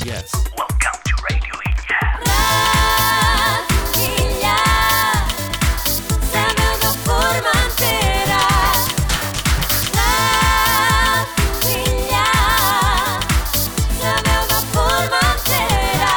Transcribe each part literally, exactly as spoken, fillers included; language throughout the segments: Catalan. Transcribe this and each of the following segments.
Yes. Welcome to Radio Illa. Radio Illa, la veu de Formentera. Radio Illa, la veu de Formentera.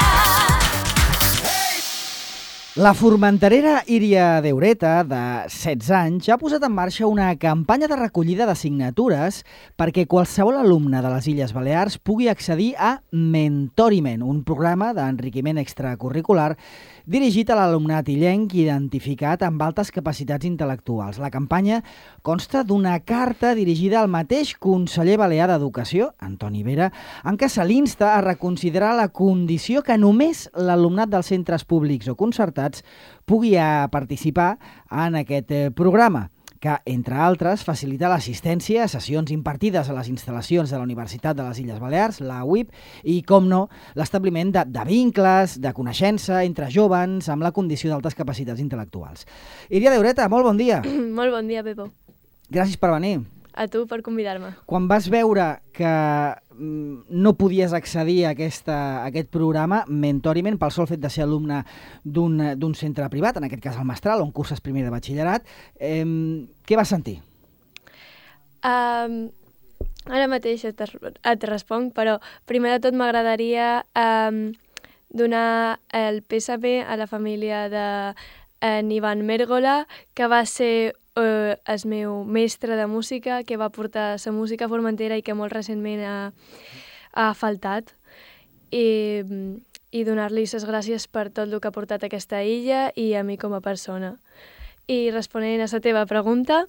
La formenterera Iria Deureta, de setze anys, ja ha posat en marxa una campanya de recollida de signatures perquè qualsevol alumne de les Illes Balears pugui accedir a Mentoriment, un programa d'enriquiment extracurricular dirigit a l'alumnat illenc identificat amb altes capacitats intel·lectuals. La campanya consta d'una carta dirigida al mateix conseller balear d'Educació, Antoni Vera, en què se l'insta a reconsiderar la condició que només l'alumnat dels centres públics o concertats pugui participar en aquest programa, que, entre altres, facilita l'assistència a sessions impartides a les instal·lacions de la Universitat de les Illes Balears, la U I B, i, com no, l'establiment de, de vincles, de coneixença entre joves amb la condició d'altes capacitats intel·lectuals. Iria Deureta, molt bon dia. Molt bon dia, Pepo. Gràcies per venir. A tu per convidar-me. Quan vas veure que mm, no podies accedir a, aquesta, a aquest programa, Mentoriment, pel sol fet de ser alumne d'un d'un centre privat, en aquest cas el Mestral, on curses primer de batxillerat, eh, què vas sentir? Um, ara mateix et, et responc, però primer de tot m'agradaria um, donar el pèsame a la família de en Ivan Mèrgola, que va ser uh, el meu mestre de música, que va portar la música a Formentera i que molt recentment ha, ha faltat. I, i donar-li les gràcies per tot el que ha portat a aquesta illa i a mi com a persona. I responent a la teva pregunta,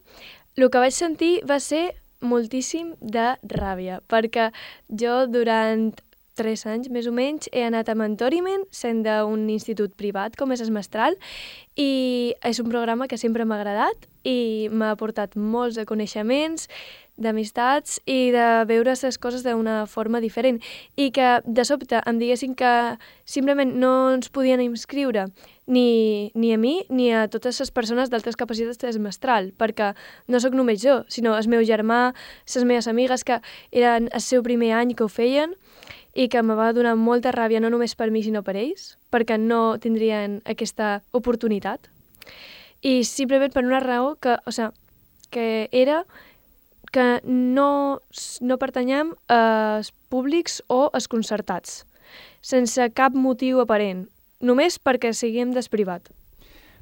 el que vaig sentir va ser moltíssim de ràbia, perquè jo durant tres anys, més o menys, he anat a Mentoriment, sent d'un institut privat, com és el Mestral, i és un programa que sempre m'ha agradat i m'ha aportat molts de coneixements, d'amistats i de veure les coses d'una forma diferent. I que, de sobte, em diguessin que simplement no ens podien inscriure ni, ni a mi ni a totes les persones d'altres capacitats del Mestral, perquè no sóc només jo, sinó el meu germà, les meves amigues, que eren el seu primer any que ho feien, i que me va donar molta ràbia, no només per mi, sinó per ells, perquè no tindrien aquesta oportunitat. I simplement per una raó que, o sigui, que era que no, no pertanyem als públics o als concertats, sense cap motiu aparent, només perquè siguem del privat.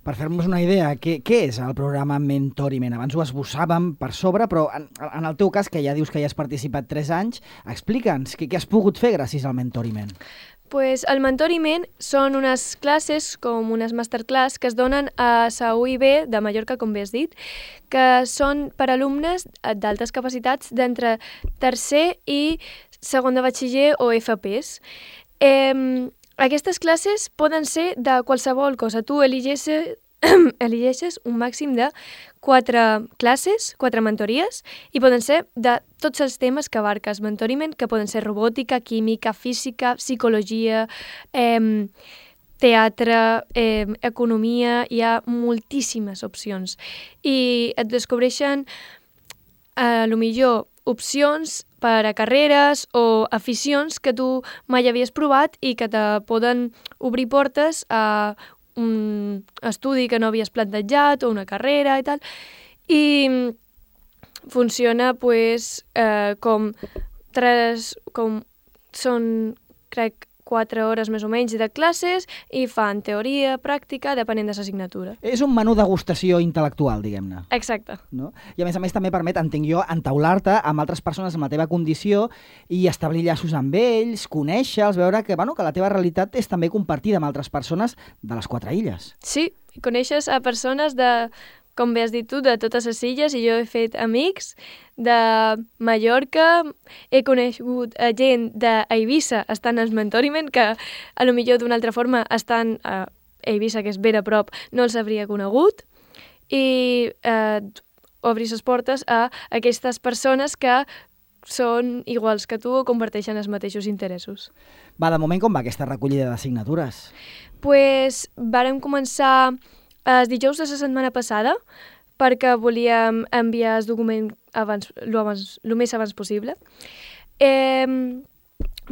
Per fer-nos una idea, què, què és el programa Mentoriment? Abans ho esbossàvem per sobre, però en, en el teu cas, que ja dius que ja has participat tres anys, explica'ns què, què has pogut fer gràcies al Mentoriment. Pues el Mentoriment són unes classes, com unes masterclass, que es donen a la U I B de Mallorca, com bé has dit, que són per alumnes d'altes capacitats d'entre tercer i segon de batxiller o F Ps. Eh, Aquestes classes poden ser de qualsevol cosa. Tu eligeixes, eligeixes un màxim de quatre classes, quatre mentories, i poden ser de tots els temes que abarques Mentoriment, que poden ser robòtica, química, física, psicologia, eh, teatre, eh, economia, hi ha moltíssimes opcions. I et descobreixen, a lo millor, opcions per a carreres o aficions que tu mai havies provat i que te poden obrir portes a un estudi que no havies plantejat o una carrera i tal. I funciona pues, eh, com tres, com són, crec, quatre hores més o menys de classes i fan teoria, pràctica, depenent de l'assignatura. És un menú degustació intel·lectual, diguem-ne. Exacte. No? I a més a més també permet, entenc jo, entaular-te amb altres persones amb la teva condició i establir llaços amb ells, conèixer-los, veure que, bueno, que la teva realitat és també compartida amb altres persones de les quatre illes. Sí, coneixes a persones de, com bé has dit tu, de totes les illes, i jo he fet amics de Mallorca, he conegut a gent d'Eivissa estant al Mentoriment, que a lo millor d'una altra forma estan a Eivissa, que és ben a prop, no els hauria conegut, i eh, obris les portes a aquestes persones que són iguals que tu o comparteixen els mateixos interessos. Va, de moment com va aquesta recollida de signatures? Pues vàrem començar els dijous de la setmana passada, perquè volíem enviar el document abans, lo, abans, lo més abans possible. Eh,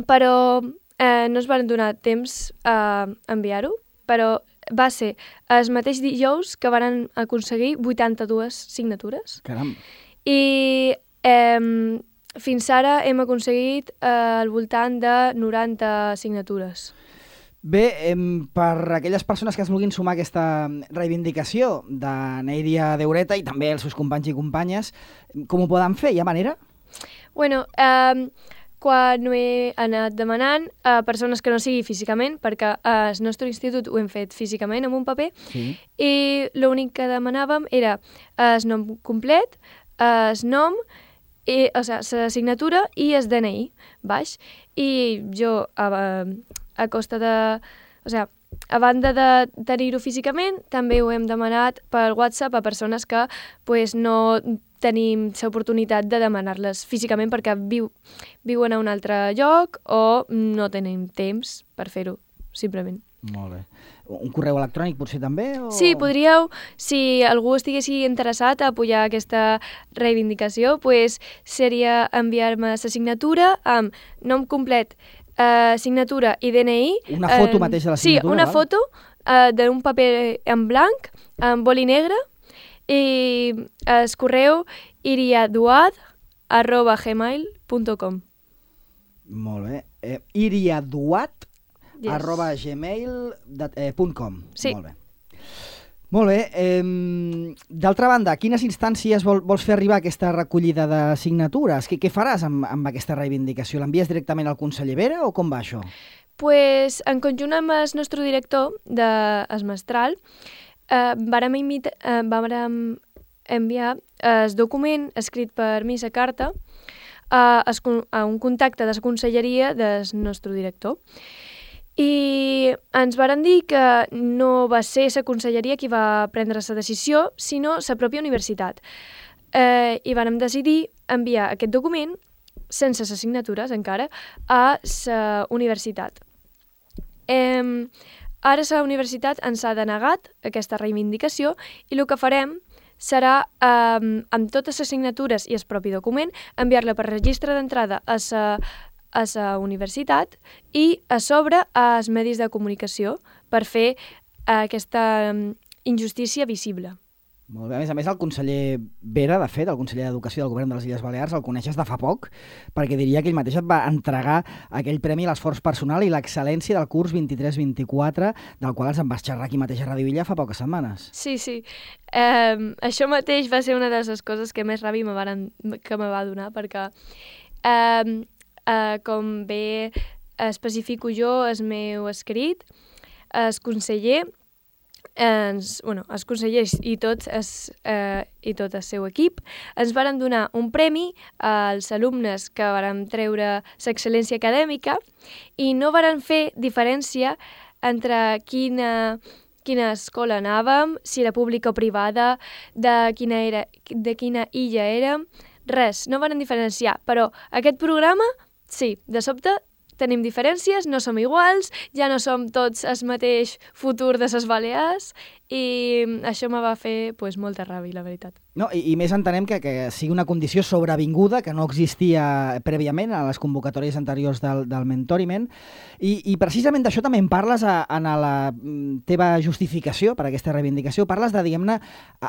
però eh, no es van donar temps a enviar-ho, però va ser el mateix dijous que van aconseguir vuitanta-dues signatures. Caram. I eh, fins ara hem aconseguit eh, al voltant de noranta signatures. Bé, em, per aquelles persones que es vulguin sumar a aquesta reivindicació de Neiria Deureta i també els seus companys i companyes, com ho poden fer? Hi ha manera? Bueno, eh, quan ho he anat demanant a persones que no sigui físicament, perquè al nostre institut ho hem fet físicament amb un paper, Sí. i l'únic que demanàvem era el nom complet, el nom, i, o sigui, la signatura i el D N I, baix. I jo, a, a costa de... O sigui, a banda de tenir-ho físicament, també ho hem demanat per WhatsApp a persones que pues, no tenim l'oportunitat de demanar-les físicament perquè viu, viuen a un altre lloc o no tenim temps per fer-ho, simplement. Molt bé. Un correu electrònic potser també? O... Sí, podríeu, si algú estiguessi interessat a apoyar aquesta reivindicació, pues, seria enviar-me la signatura amb nom complet, eh, signatura i D N I. Una foto eh, mateix de la signatura? Sí, una val? foto eh, d'un paper en blanc, amb boli negre, i el correu iriaduad arroba gmail punt com. Molt bé. Eh, iriaduat Yes. arroba gmail punt com. Sí. Molt bé. Molt bé. Eh, D'altra banda, a quines instàncies vol, vols fer arribar aquesta recollida de signatures? Què, què faràs amb, amb aquesta reivindicació? L'envies directament al conseller Vera o com va això? Pues, en conjunt amb el nostre director de Mestral, eh, vàrem, imita, eh, vàrem enviar el document escrit per mi, la carta, a, a un contacte de la conselleria del nostre director. I ens varen dir que no va ser la conselleria qui va prendre la decisió, sinó la pròpia universitat. Eh, I vàrem decidir enviar aquest document, sense les signatures encara, a la universitat. Eh, ara la universitat ens ha denegat aquesta reivindicació i el que farem serà, eh, amb totes les signatures i el propi document, enviar-la per registre d'entrada a la a la universitat i a sobre als medis de comunicació per fer aquesta injustícia visible. Molt bé. A més a més, el conseller Vera, de fet, el conseller d'Educació del Govern de les Illes Balears, el coneixes de fa poc, perquè diria que ell mateix et va entregar aquell premi a l'esforç personal i l'excel·lència del curs vint-i-tres vint-i-quatre, del qual ens en vas xerrar aquí mateix a Ràdio Illa fa poques setmanes. Sí, sí. Eh, això mateix va ser una de les coses que més ràbia me varen, que me va donar, perquè eh, Uh, com bé especifico jo el meu escrit, el conseller, ens, bueno, els consellers i tot, es, uh, i tot el seu equip ens varen donar un premi als alumnes que varen treure l'excel·lència acadèmica i no varen fer diferència entre quina, quina escola anàvem, si era pública o privada, de quina, era, de quina illa érem, res, no varen diferenciar, però aquest programa sí, de sobte tenim diferències, no som iguals, ja no som tots el mateix futur de les Balears i això me va fer pues, molta ràbia, la veritat. No, i, i més entenem que, que sigui una condició sobrevinguda, que no existia prèviament a les convocatòries anteriors del, del mentoriment, i, i precisament d'això també en parles a, en la teva justificació per a aquesta reivindicació, parles de, diguem-ne,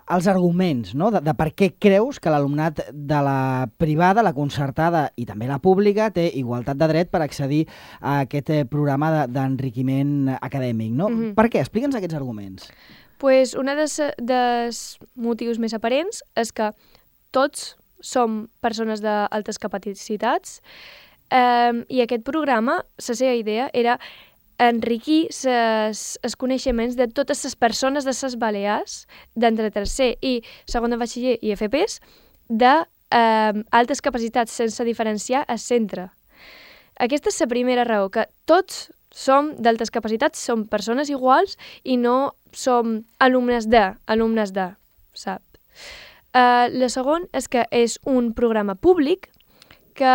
els arguments, no? de, de per què creus que l'alumnat de la privada, la concertada i també la pública té igualtat de dret per accedir a aquest programa d'enriquiment acadèmic, no? Mm-hmm. Per què? Explica'ns aquests arguments. Pues un dels, dels motius més aparents és que tots som persones d'altes capacitats eh, i aquest programa, la seva idea era enriquir els coneixements de totes les persones de les Balears d'entre tercer i segon de batxiller i F Ps d'altes eh, capacitats sense diferenciar el centre. Aquesta és la primera raó, que tots som d'altes capacitats, som persones iguals i no som alumnes de, alumnes de, sap? Uh, la segona és que és un programa públic que,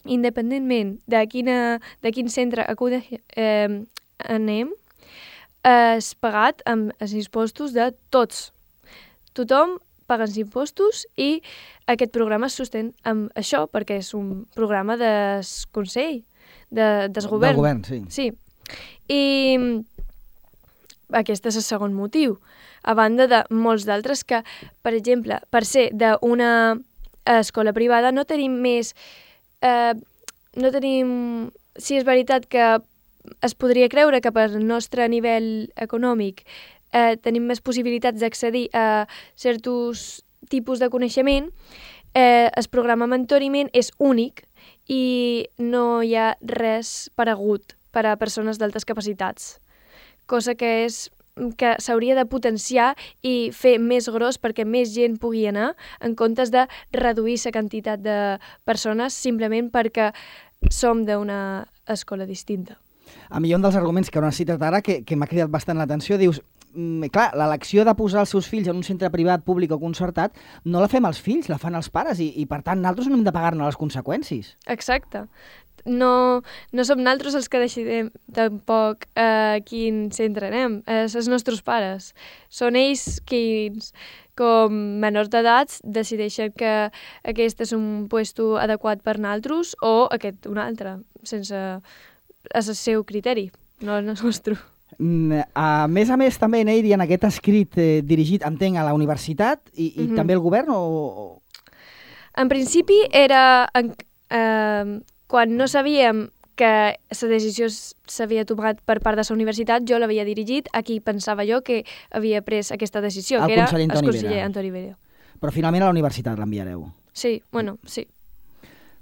independentment de, quina, de quin centre acude, eh, anem, és pagat amb els impostos de tots. Tothom paga els impostos i aquest programa es sostén amb això, perquè és un programa del Consell de desgovern. Del govern, sí. Sí. I aquest és el segon motiu. A banda de molts d'altres que, per exemple, per ser d'una escola privada no tenim més... Eh, no tenim... Sí, és veritat que es podria creure que per nostre nivell econòmic eh, tenim més possibilitats d'accedir a certs tipus de coneixement, eh, el programa Mentoriment és únic i no hi ha res paregut per a persones d'altes capacitats, cosa que és que s'hauria de potenciar i fer més gros perquè més gent pugui anar en comptes de reduir la quantitat de persones simplement perquè som d'una escola distinta. A mi hi ha un dels arguments que no has citat ara que, que m'ha cridat bastant l'atenció. Dius, mm, clar, l'elecció de posar els seus fills en un centre privat, públic o concertat no la fem els fills, la fan els pares i, i per tant, nosaltres no hem de pagar-ne les conseqüències. Exacte. No, no som nosaltres els que decidim tampoc a eh, quin centre anem, és els nostres pares. Són ells qui, com menors d'edats, decideixen que aquest és un puesto adequat per nosaltres o aquest un altre, sense és el seu criteri, no el nostre. A més a més, també, Neiri, en aquest escrit eh, dirigit, entenc, a la universitat i, i mm-hmm. també al govern? O... En principi era... En, eh, quan no sabíem que la decisió s'havia tomat per part de la universitat, jo l'havia dirigit a qui pensava jo que havia pres aquesta decisió, el que era conseller el Antoni conseller Vera. Antoni Vera. Però finalment a la universitat l'enviareu. Sí, bueno, sí.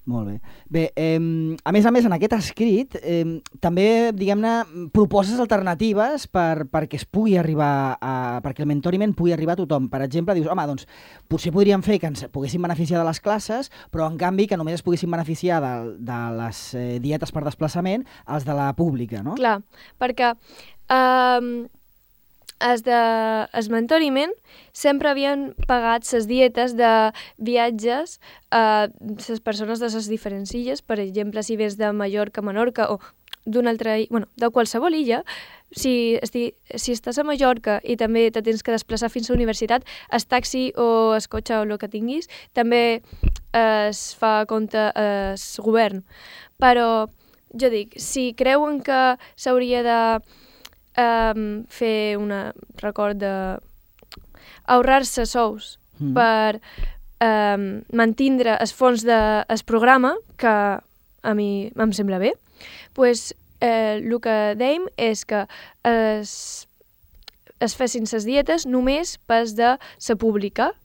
Molt bé. Bé, eh, a més a més, en aquest escrit eh, també, diguem-ne, proposes alternatives per, perquè es pugui arribar a, perquè el mentoriment pugui arribar a tothom. Per exemple, dius, home, doncs, potser podríem fer que ens poguessin beneficiar de les classes, però en canvi que només es poguessin beneficiar de, de les eh, dietes per desplaçament els de la pública, no? Clar, perquè eh, els de el mentoriment sempre havien pagat les dietes de viatges a les persones de les diferents illes. Per exemple, si vés de Mallorca a Menorca o d'una altra illa, bueno, de qualsevol illa, si, esti, si estàs a Mallorca i també te tens que desplaçar fins a la universitat, el taxi o el cotxe o el que tinguis, també es fa compte el govern. Però jo dic, si creuen que s'hauria de Um, fer una record de ahorrar-se sous mm. per um, mantindre els fons del de, programa, que a mi em sembla bé, pues, eh, el que dèiem és que es, es fessin les dietes només pas de la pública,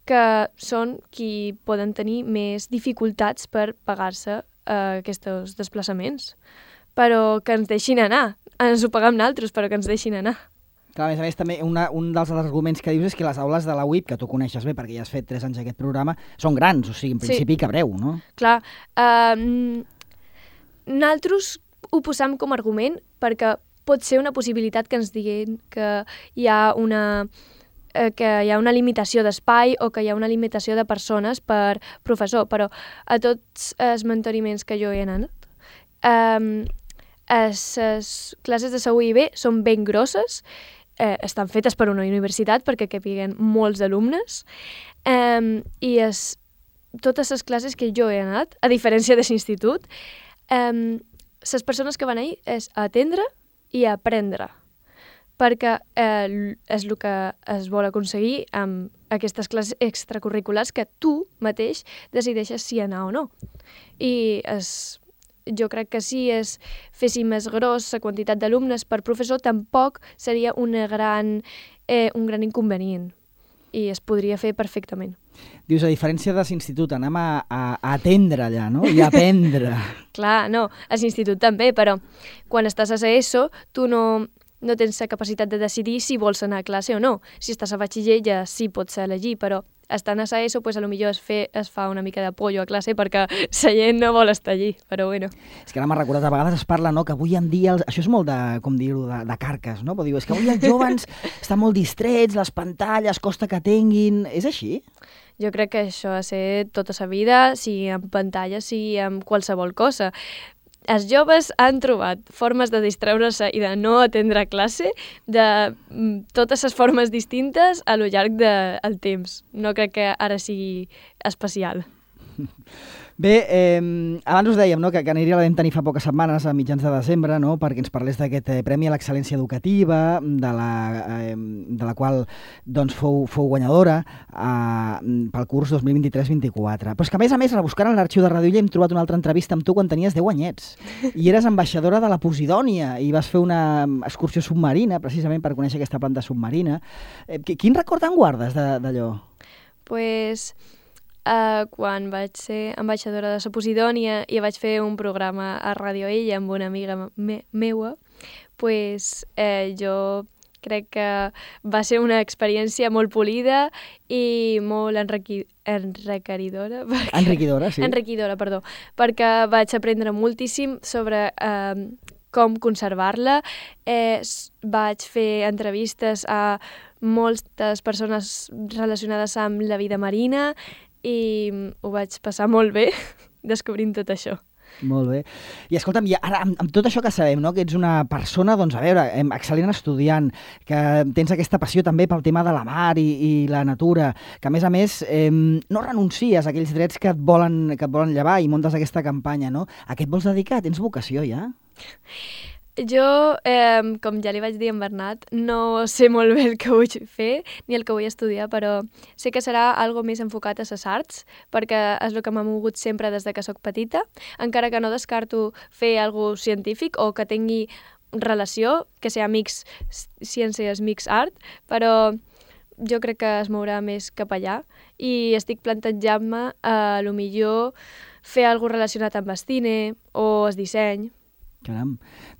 que són qui poden tenir més dificultats per pagar-se eh, aquests desplaçaments, però que ens deixin anar. Ens ho paguem nosaltres, però que ens deixin anar. Clar, a més a més, també una, un dels arguments que dius és que les aules de la U I P, que tu coneixes bé perquè ja has fet tres anys aquest programa, són grans, o sigui, en principi sí. Cabreu, no? Clar, uh, nosaltres ho posam com a argument perquè pot ser una possibilitat que ens diguin que hi ha una eh, que hi ha una limitació d'espai o que hi ha una limitació de persones per professor, però a tots els mentoriments que jo he anat, eh, les classes de la U I B són ben grosses, eh, estan fetes per una universitat perquè capiguen molts alumnes, eh, i es, totes les classes que jo he anat, a diferència de l'institut, eh, les persones que van ahir és a atendre i a aprendre, perquè eh, és el que es vol aconseguir amb aquestes classes extracurriculars que tu mateix decideixes si anar o no. I es jo crec que si es fessin més gros la quantitat d'alumnes per professor, tampoc seria una gran, eh, un gran inconvenient i es podria fer perfectament. Dius, a diferència de l'institut, anem a, a, a atendre allà, no? I a aprendre. Clar, no, a l'institut també, però quan estàs a ESO, tu no, no tens la capacitat de decidir si vols anar a classe o no. Si estàs a batxiller ja sí pots elegir, però estant a ESO, pues, a lo millor es, fe, es fa una mica de pollo a classe perquè la gent no vol estar allí, però bueno. És que ara m'ha recordat, a vegades es parla, no?, que avui en dia, els... això és molt de, com dir-ho, de, de carques, no? Però diu, és que avui els joves estan molt distrets, les pantalles, costa que tinguin... És així? Jo crec que això ha de ser tota la vida, sigui amb pantalles, sigui amb qualsevol cosa. Els joves han trobat formes de distreure-se i de no atendre classe de totes les formes distintes a lo llarg del temps. No crec que ara sigui especial. Bé, eh, abans us dèiem, no, que, que Níria la vam tenir fa poques setmanes, a mitjans de desembre, no, perquè ens parlés d'aquest eh, Premi a l'Excel·lència Educativa, de la, eh, de la qual doncs, fou, fou guanyadora eh, pel curs dos mil vint-i-tres vint-i-quatre. Però és que, a més a més, rebuscant en l'arxiu de Radio Illa hem trobat una altra entrevista amb tu quan tenies deu anyets. I eres ambaixadora de la Posidònia i vas fer una excursió submarina, precisament per conèixer aquesta planta submarina. Eh, quin record en guardes d'allò? Pues, uh, quan vaig ser ambaixadora de la Posidònia i vaig fer un programa a Radio Illa amb una amiga me meua, pues, eh, jo crec que va ser una experiència molt polida i molt enriqui enriquidora. Perquè... Enriquidora, sí. Enriquidora, perdó. Perquè vaig aprendre moltíssim sobre eh, com conservar-la. Eh, vaig fer entrevistes a moltes persones relacionades amb la vida marina i ho vaig passar molt bé descobrint tot això. Molt bé. I escolta'm, i ara, amb, amb tot això que sabem, no?, que ets una persona, doncs, a veure, excel·lent estudiant, que tens aquesta passió també pel tema de la mar i, i la natura, que a més a més eh, no renuncies a aquells drets que et volen, que et volen llevar i muntes aquesta campanya, no? A què et vols dedicar? Tens vocació, ja? Jo, eh, com ja li vaig dir a en Bernat, no sé molt bé el que vull fer ni el que vull estudiar, però sé que serà algo més enfocat a les arts, perquè és el que m'ha mogut sempre des de que sóc petita, encara que no descarto fer alguna cosa científic o que tingui relació, que sigui mix ciències, mix art, però jo crec que es mourà més cap allà i estic plantejant-me a lo millor fer alguna cosa relacionat amb el cine o el disseny. Caram.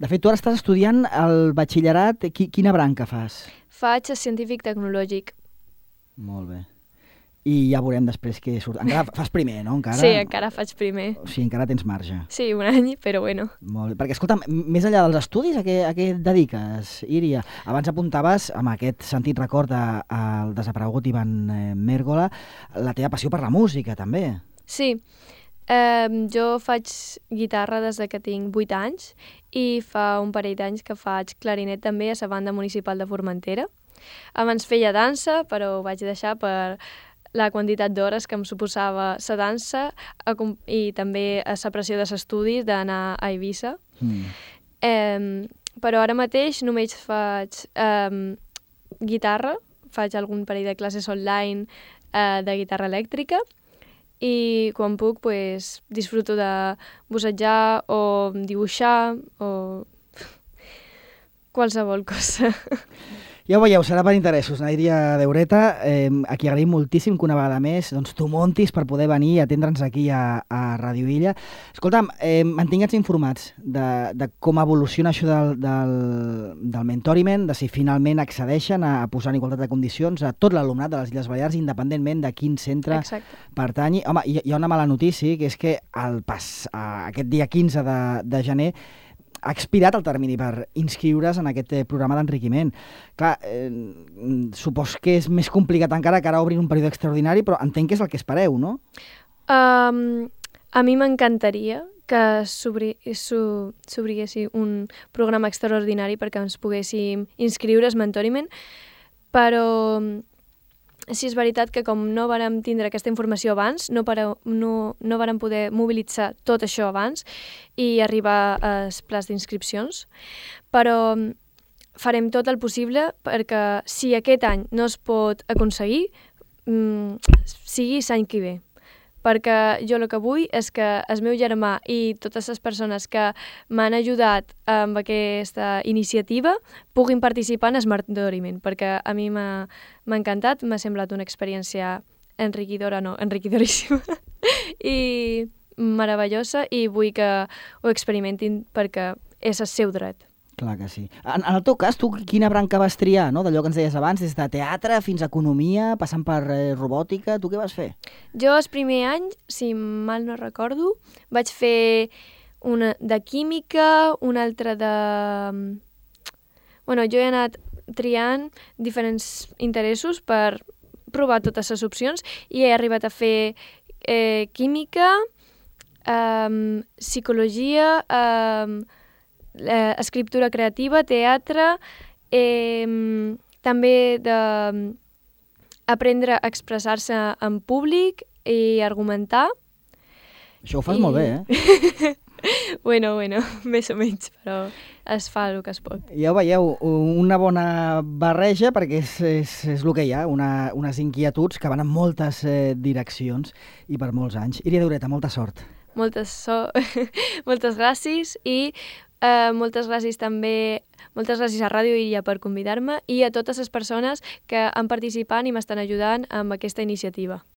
De fet, tu ara estàs estudiant el batxillerat. Quina branca fas? Faig científic tecnològic. Molt bé. I ja veurem després què surt. Encara fas primer, no? Encara... Sí, encara faig primer. O sigui, encara tens marge. Sí, un any, però bueno. Molt bé. Perquè, escolta'm, més enllà dels estudis, a què, a què et dediques, Iria? Abans apuntaves, amb aquest sentit record al desaparegut Ivan Mérgola, la teva passió per la música, també. Sí. Um, jo faig guitarra des que tinc vuit anys i fa un parell d'anys que faig clarinet també a la banda municipal de Formentera. Abans feia dansa, però ho vaig deixar per la quantitat d'hores que em suposava la dansa i també a la pressió dels estudis d'anar a Eivissa. Mm. Um, però ara mateix només faig um, guitarra, faig algun parell de classes online uh, de guitarra elèctrica i quan puc pues, disfruto de bussejar o dibuixar o qualsevol cosa. Ja ho veieu, serà per interessos, Níria Deureta, eh, a qui agraïm moltíssim que una vegada més doncs, tu montis per poder venir i atendre'ns aquí a, a Radio Illa. Escolta'm, eh, mantingue'ns informats de, de com evoluciona això del, del, del mentoriment, de si finalment accedeixen a, a posar en igualtat de condicions a tot l'alumnat de les Illes Balears, independentment de quin centre Exacte. pertanyi. Home, hi, hi ha una mala notícia, que és que el pas, a, aquest dia quinze de, de gener ha expirat el termini per inscriure's en aquest programa d'enriquiment. Clar, eh, supos que és més complicat encara que ara obrin un període extraordinari, però entenc que és el que espereu, no? Um, a mi m'encantaria que s'obriguessi un programa extraordinari perquè ens poguéssim inscriure al mentoriment, però sí és veritat que com no vàrem tindre aquesta informació abans, no, para, no, no vàrem poder mobilitzar tot això abans i arribar als plans d'inscripcions, però farem tot el possible perquè si aquest any no es pot aconseguir, mmm, sigui l'any que ve. Perquè jo el que vull és que el meu germà i totes les persones que m'han ajudat amb aquesta iniciativa puguin participar en el mentoriment, perquè a mi m'ha encantat, m'ha semblat una experiència enriquidora, no, enriquidoríssima i meravellosa i vull que ho experimentin perquè és el seu dret. Clar que sí. En, en el teu cas, tu quina branca vas triar, no? D'allò que ens deies abans, des de teatre fins a economia, passant per eh, robòtica, tu què vas fer? Jo el primer any, si mal no recordo, vaig fer una de química, una altra de... Bueno, jo he anat triant diferents interessos per provar totes les opcions i he arribat a fer eh, química, eh, psicologia, eh, Eh, escriptura creativa, teatre, eh, també d'aprendre a expressar-se en públic i argumentar Això ho fas I- molt bé, eh? Bueno, bueno, més o menys, però es fa el que es pot. Ja ho veieu, una bona barreja, perquè és, és, és el que hi ha, una, unes inquietuds que van en moltes eh, direccions i per molts anys. Iria Daureta, molta sort. Moltes, so... moltes gràcies i eh, moltes gràcies també moltes gràcies a Ràdio Iria per convidar-me i a totes les persones que han participat i m'estan ajudant amb aquesta iniciativa.